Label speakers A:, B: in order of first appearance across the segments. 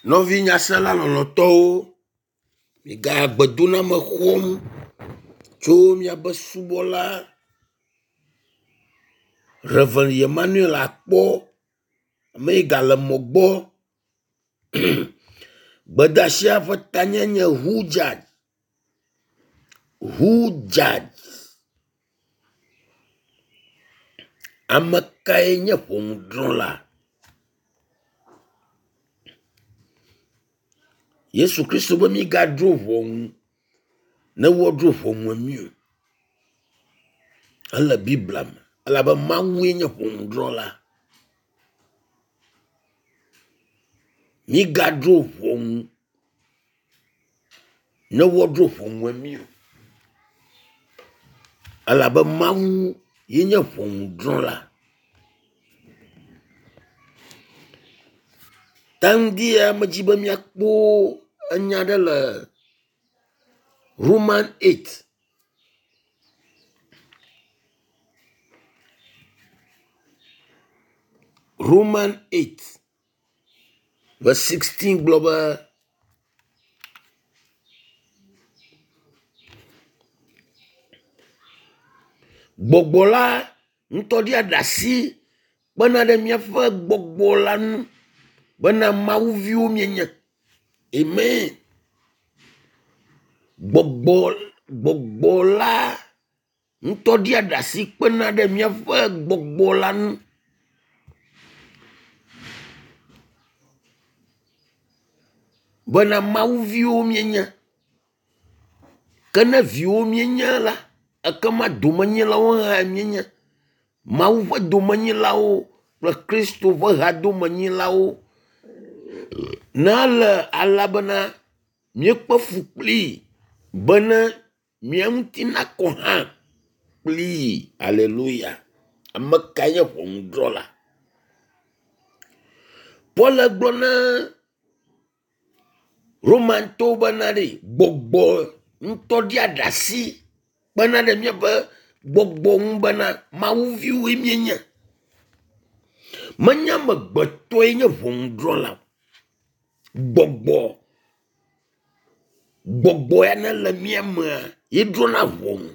A: Nɔvi nyasela lɔlɔ̃tɔwo, miga gbedoname xɔm tso miaƒe subɔla Rev. Emmanuel Akpɔ, ame yi gale mɔ gbɔ. Gbedeasia ƒe tanyae nye who judge? Who judge? Ame kae nye ŋɔnudrɔ̃la? Yesu Kristo be mígadrɔ̃ ŋɔnu ne woadrɔ̃ ŋɔnu mí o. Ele Biblia me elabe Mawue nye ŋɔnudrɔ̃la. Mígadrɔ̃ ŋɔnu ne woadrɔ̃ ŋɔnua mí o elabe Mawu ye nye ŋɔnudrɔ̃la. Ta ŋdi ya medzi be míakpɔ enya ɖe le Roman 8. Roman 8 verse 16 gblɔ be gbɔgbɔ la ŋutɔ ɖia ɖasi kpena ɖe míaƒe gbɔgbɔ la ŋu bena mawuviwo míenye. Amen. Gbɔgbɔ gbɔgbɔ la ŋutɔ ɖia ɖasi kpena ɖe míaƒe gbɔgbɔ la ŋu bena mawuviwo míenye. Ke ne viwo míenye la, ekema domenyilawo hã míenye. Mawu ƒe domenyilawo kple Kristo ƒe hadomenyilawo. Ne ele alea bena míekpe fu kplii bene mía ŋuti nakɔ hã kplii. Aleluya. Ame kae nye ŋɔnudrɔ̃la? Paul gblɔ na Romantɔwo bena ɖe gbɔgbɔ ŋutɔ ɖia ɖasi kpena ɖe míaƒe gbɔgbɔ ŋu bena mawuviwoe míenye. Menye amegbetɔe nye ŋɔnudrɔ̃la o. Gbɔgbɔ gbɔgbɔ ya ne le mía mea ye drɔ̃na ʋɔnu.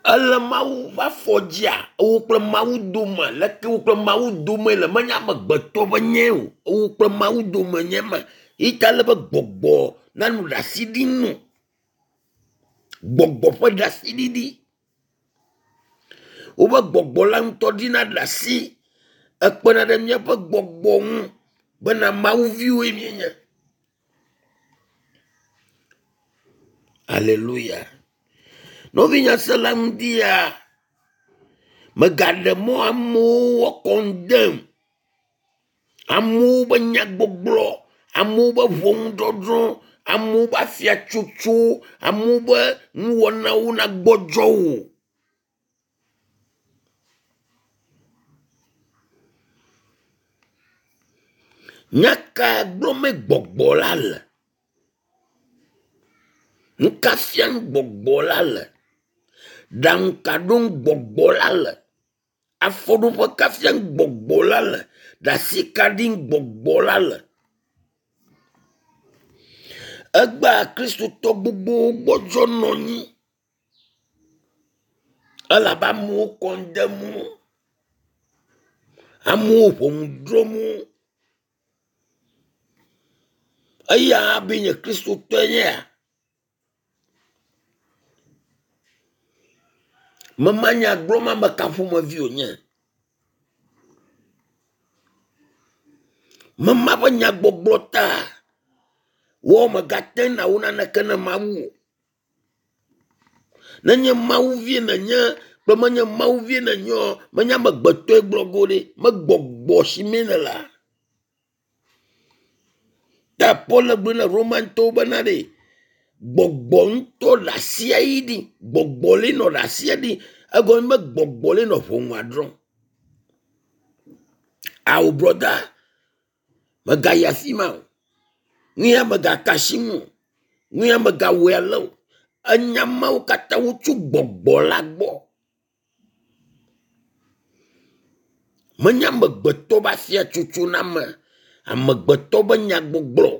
A: Ele Mawu ƒe afɔ dzia, ewo kple Mawu dome leke wo kple Mawu dome le menye amegbetɔ ƒe nyae o. Ewo kple Mawu dome nye ma. Eyi ta ele be gbɔgbɔ nanɔ ɖasi ɖim nɔ. Gbɔgbɔ ƒe ɖasiɖiɖi. Woƒe gbɔgbɔ la ŋutɔ ɖina ɖasi ekpena ɖe míaƒe gbɔgbɔ ŋu bena mawuviwoe míenye. Aleluya. Nɔvi nyasela ŋdi ya megaɖe mɔ amewo woakɔndem amewo ƒe nyagbɔgblɔ, amewo ƒe ʋɔnudɔdrɔ̃, amewo ƒe afiatsotso, amewo ƒe nuwɔnawo nagbɔdzɔ wò. Nya ka gblɔmee gbɔgbɔ la le? Nu ka fiam gbɔgbɔ la le? Ɖaŋu ka ɖom gbɔgbɔ la le? Afɔɖoƒe ka fiam gbɔgbɔ la le? Ɖasi ka ɖim gbɔgbɔ la le? Egbea kristotɔ gbogbowo gbɔdzɔ nɔ anyi elabe amewo kɔndem wo, amewo ʋɔnu drɔ̃m wo. Eya hã be nye kristotɔe nyea? Mema nya gblɔm ame ka ƒomevi wònye. Mema ƒe nyagbɔgblɔ ta wɔ megate na wo naneke ne Mawu o. Nenye Mawuvie nènye kple menye Mawuvie nènye o, menye amegbetɔe gblɔ go ɖe, megbɔgbɔ si mee nèlea? Ta Paul gblɔ na Romantɔwo bena ɖe gbɔgbɔ ŋutɔ le asia yi ɖi, gbɔgbɔ li nɔ ɖe asia ɖi, egɔme be gbɔgbɔ li nɔ ʋɔnua drɔ̃m. Ao brɔda, mègayi afi ma o. Nu ya mègaka asi ŋu o. Nu ya mègawɔe ale o. Enya mawo katã wotso gbɔgbɔ la gbɔ. Menye amegbetɔ be afiatsotso na ame, amegbetɔ be nyagbɔgblɔ.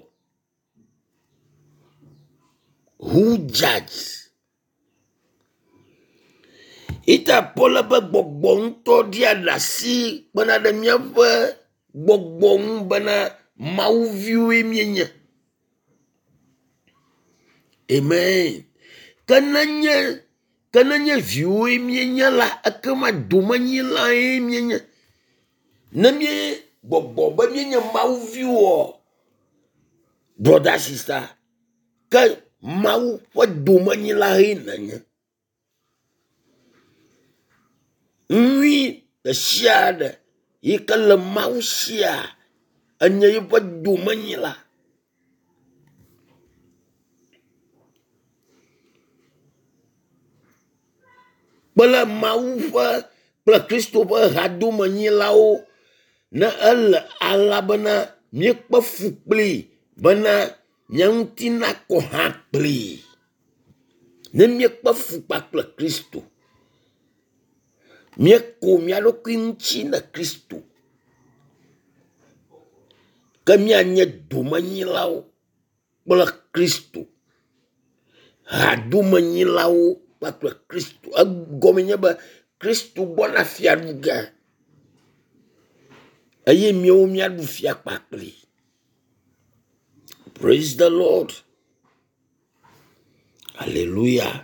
A: Who judge? Ita Paul be gbɔgbɔ ŋutɔ ɖia ɖasi kpena ɖe míaƒe gbɔgbɔ ŋu bena mawuviwoe míenye. Amen. Ke nenye ke nenye viwoe míenye la, ekema domenyilae míenye. Ne mí gbɔgbɔ be míenye mawuviwoa, brother sister, ke Mawu ƒe domenyilae nènye. Nyui ɖe sia ɖe yi ke le Mawu sia enye eƒe domenyila. Kple Mawu ƒe kple Kristo ƒe hadomenyilawo ne ele alea bena míekpe fu kplii bena mía ŋuti nakɔ hã kplii. Ne míekpe fu kpakple Kristo, míeko mía ɖokui ŋuti na Kristo, ke míanye domenyilawo kple Kristo, hadomenyilawo kpakple Kristo. Egɔme nye be Kristo gbɔna fia ɖu ge eye míawo míaɖu fia kpakpli. Praise the Lord. Hallelujah.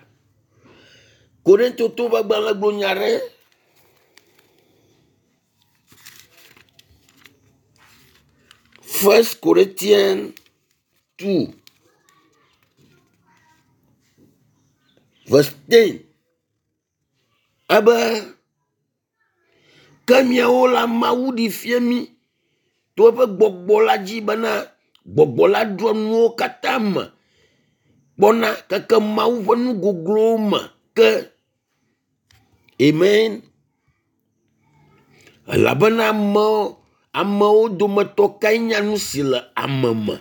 A: Korintotowo ƒe agbalẽ gblɔ nya ɖe. First Corinthians 2 verse 10 ebe ke miawo la Mawu ɖi fia mí to eƒe gbɔgbɔ la dzi bena gbɔgbɔ la ɖɔ nuwo katã me kpɔna keke Mawu ƒe nu goglowo me ke. Amen. Elabena amewo amewo dometɔ kae nya nu si le ame me?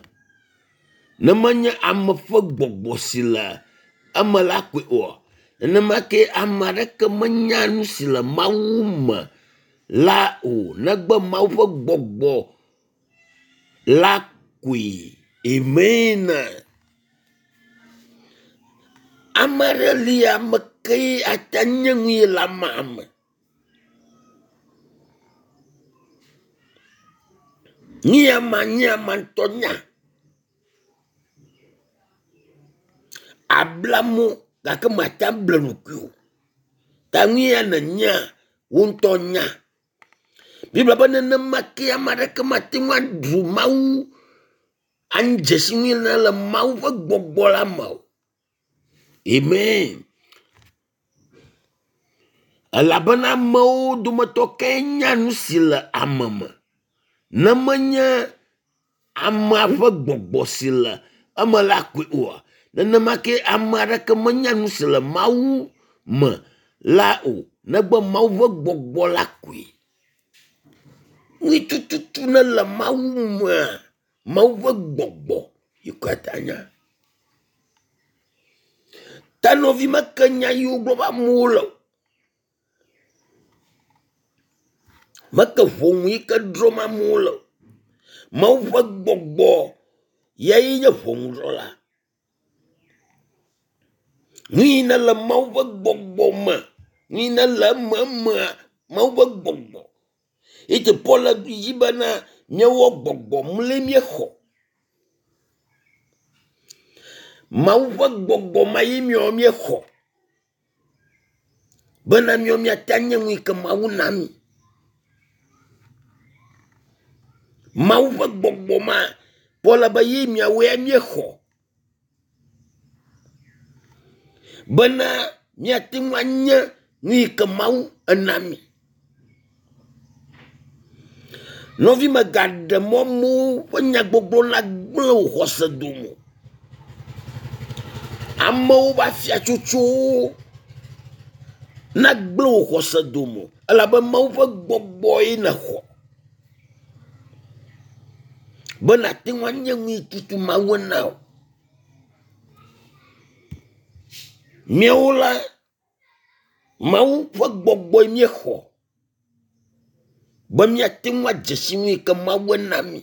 A: Ne menye ame ƒe gbɔgbɔ si le eme la koe oa? Nenema ke ame aɖeke menya nu si le Mawu me la o negbe Mawu ƒe gbɔgbɔ la koe. Amen. Ame aɖe li ame kee ate nye nu yi le amea me. Nu ya ma nye ame ŋutɔ nya. Abla mo gake mate able ɖokui o. Ta nu ya nènyea, wò ŋutɔ nya. Biblia be nenema ke ame aɖeke mate ŋu aɖu Mawu adze si nu yi le Mawu ƒe gbɔgbɔ la me o. Amen. Elabena amewo dometɔ kae nya nu si le ame me? Ne menye amea ƒe gbɔgbɔ si le eme la koe oa? Nenema ke ame aɖeke menya nu si le Mawu me la o negbe Mawu ƒe gbɔgbɔ la koe. Nui tututu ne le Mawu mea, Mawu ƒe gbɔgbɔ yi katã nya. Ta nɔvi meke nya yi wogblɔ be amewo le o. Meke ʋɔnu yi ke drɔ̃m amewo le o. Mawu ƒe gbɔgbɔ yae nye ʋɔnudrɔ̃la. Nu yi ne le Mawu ƒe gbɔgbɔ me, nu yi ne le ememea, Mawu ƒe gbɔgbɔ. Eye Paul le dzi bena míewɔ gbɔgbɔ mle míexɔ. Mawu ƒe gbɔgbɔ ma ye míawo míexɔ bena míawo míate nye nu yi ke Mawu na mí. Mawu ƒe gbɔgbɔ ma Paul be ye miawoe míexɔ bena míate ŋu anye nu yi ke Mawu ena mí. Nɔvi mègaɖe mɔ amewo ƒe nyagbɔgblɔ nagblẽ wò xɔse dome o. Amewo ƒe afiatsotsowo nagblẽ wò xɔse dome o elabe Mawu ƒe gbɔgbɔe nèxɔ be nàte ŋu anye nu yi tutu Mawu ena wò. Míawo la, Mawu ƒe gbɔgbɔe míexɔ. Be míate ŋu adze si nu yi ke Mawu na mí.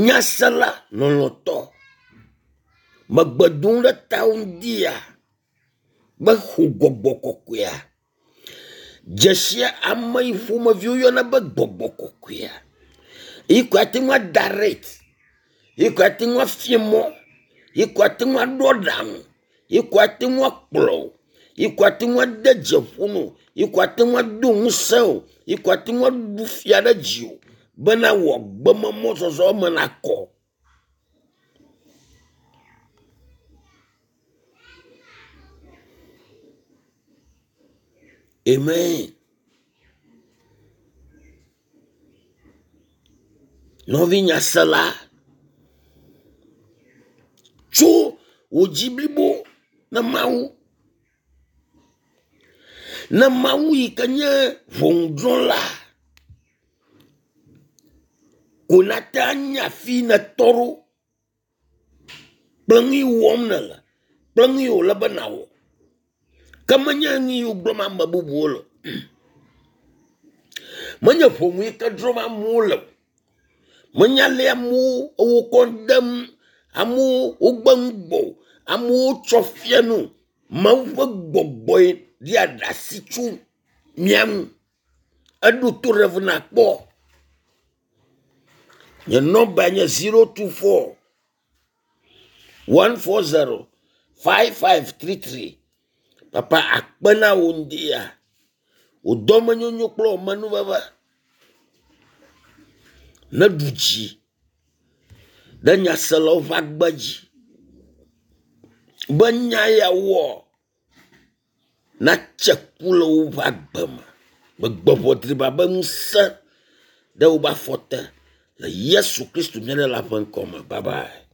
A: Nyasela lɔlɔ̃tɔ, megbe dom ɖe tawò ŋdi ya be xɔ gbɔgbɔ kɔkɔea. Dzesia ame yi ƒomevi woyɔna be gbɔgbɔ kɔkɔea. Yi koe ate ŋu adarɛt, yi koe ate ŋu afia mɔ, yi koe ate ŋu aɖo aɖaŋu, yi koe ate ŋu akplɔ wò, yi koe ate ŋu ade dze ƒo na wò, yi koe ate ŋu ado ŋusẽ wò, yi koe ate ŋu aɖu fia ɖe dziwò bena wò agbememɔzɔzɔ me nakɔ. Amen. Nɔvi nyasela, tso wò dzi blibo na Mawu. Ne Mawu yi ke nye ʋɔnudrɔ̃la ko nate anya afi yi nètɔ ɖo kple nu yi wɔm nèle kple nu yi wòle be nàwɔ. Ke menye nu yi gblɔm ame bubuwo le o. Menye ʋɔnu yi ke drɔ̃m amewo le o. Menye ale amewo wo kɔ dem, amewo wogbe nu gbɔ o, amewo tsɔ fia nu o. Mawu ƒe gbɔgbɔe ɖia ɖasi tso mía ŋu. Eɖo to ɖe nakpɔ. Nye nɔmba nye 024 140 5533. Papa akpe na wò ŋdi ya. Wò dɔmenyonyo kple wò amenuveve neɖu dzi ɖe nyaselawo ƒe agbe dzi be nya ya wɔ natse ku le woƒe agbe me. Megbe ʋɔ driba be ŋusẽ ɖe woƒe afɔ te le Yesu Kristo mía Ɖela ƒe ŋkɔ me. Bye bye.